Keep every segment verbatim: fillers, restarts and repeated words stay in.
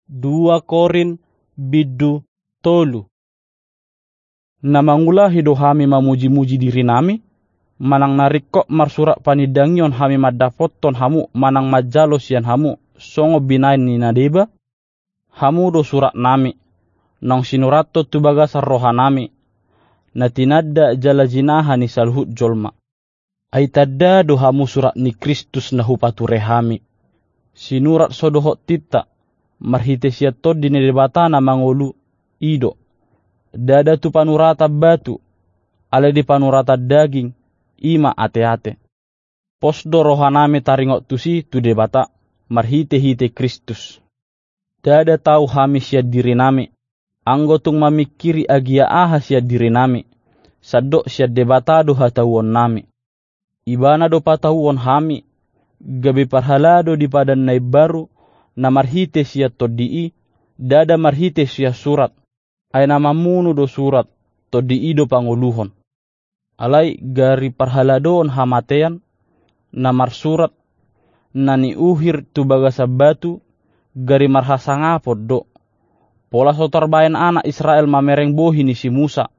Dua Korint bindu tolu. Na mangulahi do hami mamuji-muji dirinami, manang na ringkot marsurat panindangion hami mandapothon hamu manang manjalo sian hamu, songon binahen ni na deba? Hamu do suratnami, naung sinurathon tu bagasan rohanami, na tinanda jala jinaha ni saluhut jolma. Ai tanda do hamu surat ni Kristus na hupature hami. Sinurat so dohot tinta, marhite sian Tondi ni Debata na mangolu, i do. Ndada tu panuratan batu, alai di panuratan daging, i ma ate-ate. Pos do rohanami taringot tusi tu Debata, marhite-hite Kristus. Ndada tau hami sian dirinami, anggo tung mamingkiri agia aha sian dirinami, sandok sian Debata do hatauonnami. Ibana do patauon hami, gabe parhalado di padan na imbaru, na marhite sian Tondi i, ndada marhite sian surat, ai na mamunu do surat, Tondi i do pangoluhon. Alai gari parhaladoon hamatean, na marsurat, na niuhir tu bagasan batu, gari marhasangapon do. Pola so tarbahen anak Israel mamereng bohi ni si Musa,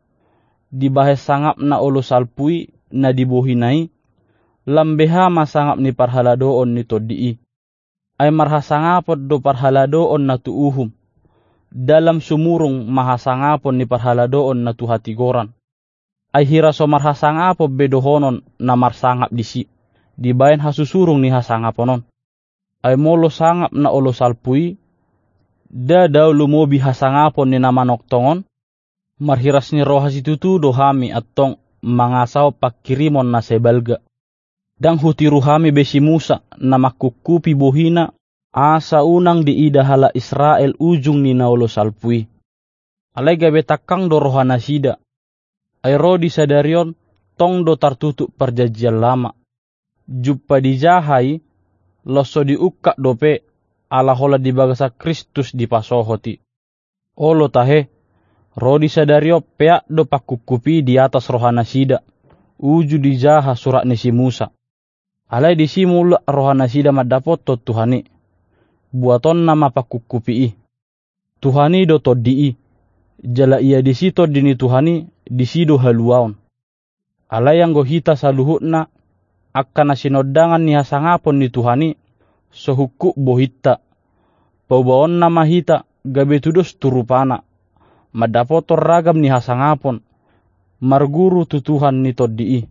dibahen sangap na olo salpu i na di bohina i, lam beha ma sangap ni parhaladoon ni Tondi i. Ai marhasangapon do parhaladoon na tu uhum, ndada lam sumurung ma hasangapon ni parhaladoon na tu hatigoran. Ai hira so marhasangapon be dohonon na marsangap disi, dibahen hasusurung ni hasangapon on. Ai molo sangap na olo salpu i, ndada do lumobi hasangapon ni na manongtong on? Marhiras ni roha situtu do hami antong mangasahon pangkirimon na sai balga. Ndang hutiru hami be si Musa, na mangkungkupi bohina, asa unang diida halak Israel ujung ni na olo salpu i. Alai gabe tangkang do rohanasida. Ai ro di sadari on, tong do tartutup Parjanjian Lama. Jumpa dijaha i, los so diungkap dope, ala holan di bagasan Kristus dipasohot i. Olo tahe, ro di sadari on peak do pangkungkupi di atas rohanasida, uju dijaha surat ni si Musa. Alai disi mulak rohanasida mandapothon Tuhan i. Buatonna ma pangkungkupi i. Tuhan i do Tondi i, jala ia disi Tondi ni Tuhan i, disi do haluaon. Alai anggo hita saluhutna, angka na sinondangan ni hasangapon ni Tuhan i, so hungkup bohinta. Paubaonna ma hita, gabe tudos tu rupana, mandapothon ragam ni hasangapon, marguru tu Tuhan ni Tondi i.